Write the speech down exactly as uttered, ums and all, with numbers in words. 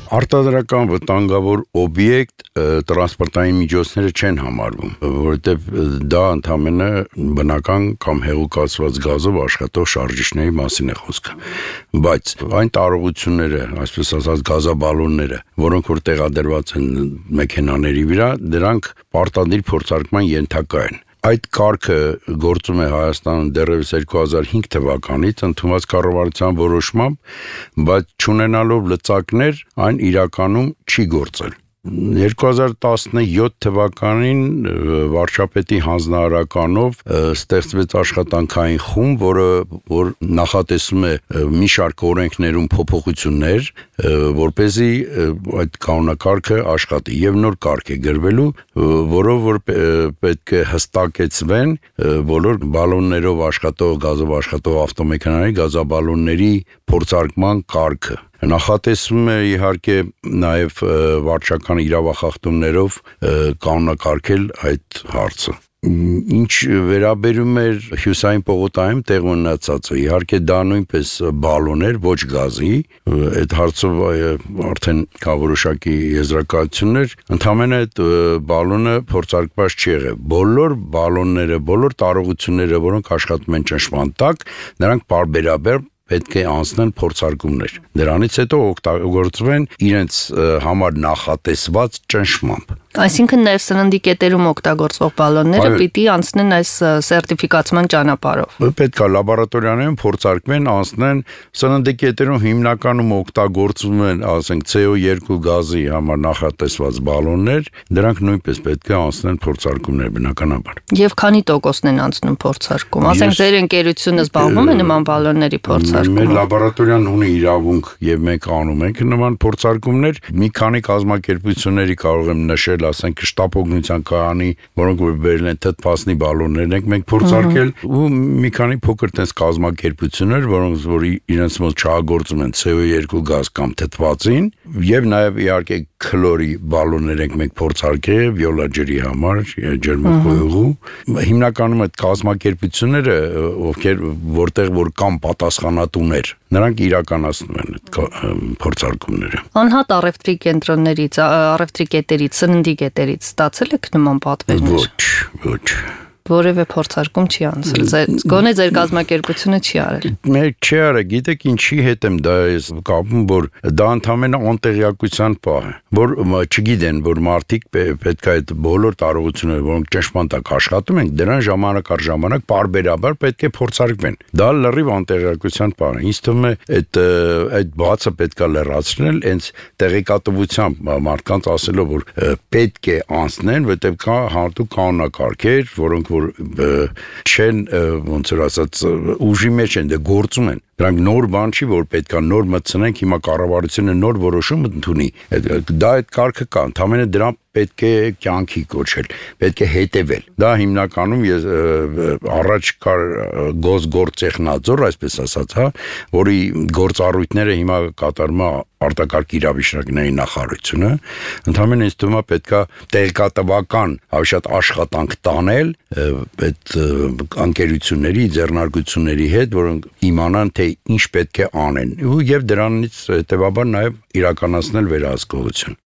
Արտադրական վտանգավոր օբյեկտ տրանսպորտային միջոցները չեն համարվում, որովհետև դա ընդամենը բնական կամ հեղուկացված գազով աշխատող շարժիչների մասին է խոսքը, բայց այն տարողությունները, այսպես ասած գազաբալոնները, որոնք որ տեղադրված են մեքենաների վրա, դրանք պարտադիր փորձարկման ենթակա են։ Այդ կարգը գործում է Հայաստանում դեռևս երկու հազար հինգ թվականից ընդունված կառավարության որոշմամբ, բայց չունենալով լծակներ, այն իրականում չի գործել։ երկու հազար տասնյոթ թվականին վարչապետի հանձնարարականով ստեղծվեց աշխատանքային խումբ, որը որ նախատեսում է մի շարք օրենքներում փոփոխություններ, որպեսզի այդ կանոնակարգը աշխատի եւ նոր կարգ է գրվելու, որով որ պետք է հստակեցվեն բոլոր բալոններով աշխատող, գազով աշխատող ավտոմեքենաների գազաբալոնների փորձարկման կարգը։ Նախատեսվում է իհարկե նաև վարչական իրավախախտումներով կանոնակարգել այդ հարցը։ Ինչ վերաբերում էր հյուսային պողոտայում տեղ ունեցածը, իհարկե դա նույնպես բալոն էր, ոչ գազի, այդ հարցով արդեն կա որոշակի եզրակացություններ, ընդամենը այդ բալոնը փորձարկված չի եղել։ Բոլոր բալոնները, բոլոր տարողությունները, որոնք աշխատում են ճնշման տակ, նրանք պարբերաբար պետք է անցնեն փորձարկումներ։ Դրանից հետո օգտագործվեն իրենց համար նախատեսված ճնշմամբ։ Այսինքն նաև սննդի կետերում օգտագործվող բալոնները պիտի անցնեն այս սերտիֆիկացման ճանապարհով։ Պետք է լաբորատորիաներում փորձարկվեն, անցնեն, սննդի կետերում հիմնականում օգտագործվում են, ասենք C O two գազի համար նախատեսված բալոններ, դրանք նույնպես պետք է անցնեն փորձարկումներ բնականաբար։ Եվ քանի տոկոսն են անցնում փորձարկում։ Ասենք ձեր ընկերությունը զբաղվում է նման բալոնների փորձարկումով։ Մեր լաբորատորիան ունի իրավունք եւ մենք անում ենք նման փորձարկումներ։ Մի քանի կազմակերպությունների կարող եմ նշել, ասենք շտապօգնության կայանի, որոնք որ բերել են թթվասնի բալոններ ենք մենք փորձարկել ու մի քանի փոքր տես կազմակերպություններ, որոնք որ իրենց մոտ չհագործում են C O two գազ կամ թթվածին եւ նաեւ իհարկե քլորի բալոններ ենք մենք փորձարկել վիոլաջերի համար, ջերմախոյողու։ Հիմնականում այդ կազմակերպությունները, ովքեր որտեղ որ կամ պատասխանատուներ, նրանք իրականացնում են այդ փորձարկումները։ Անհատ առևտրի կենտրոններից, առևտրի կետերից, սննդի կետերից ստացել եք նման պատվերներ։ Ոչ, ոչ։ Որևէ փորձարկում չի անցել։ Գոնե ձեր կազմակերպությունը չի արել։ Մեր չի արել, գիտեք ինչի հետ եմ դա ես կապում, որ դա ընդամենը անտեղյակության պահ է, որ չգիտեն, որ մարդիկ պետք է այդ բոլոր տարողությունները, որոնք ճնշման տակ աշխատում են, դրան ժամանակ առ ժամանակ պարբերաբար պետք է փորձարկվեն։ Դա լրիվ անտեղյակության պահ է։ Ինձ թվում է այդ այդ բացը պետք է լրացնել, հենց տեղեկատվությամբ մարդկանց ասելով, որ պետք է անցնեն, որտեղ կա հատուկ կանոնակարգեր, որոնք որ չեն ոնց որ ասած ուժի մեջ են, դե գործում են։ Դրանք նոր բան չի, որ պետք է նոր մտցնենք, հիմա կառավարությունը նոր որոշում ընդունի։ Դա այդ կարգը կա, ընդամենը դրան պետք է կյանքի կոչել, պետք է հետևել։ Դա հիմնականում ես առաջ կար գոսգործտեխնաձոր, այսպես ասած, հա, որի գործառույթները հիմա կատարում է արտակարգ իրավիճակների նախարարությունը, ընդամենը ինձ թվում է պետք է տեղեկատվական հավաշատ աշխատանք տանել այդ ընկերությունների, ձեռնարկությունների հետ, որոնք իմանան, թե ինչ պետք է անեն, եւ դրանից հետեւաբար նաեւ իրականացնել վերահսկողություն։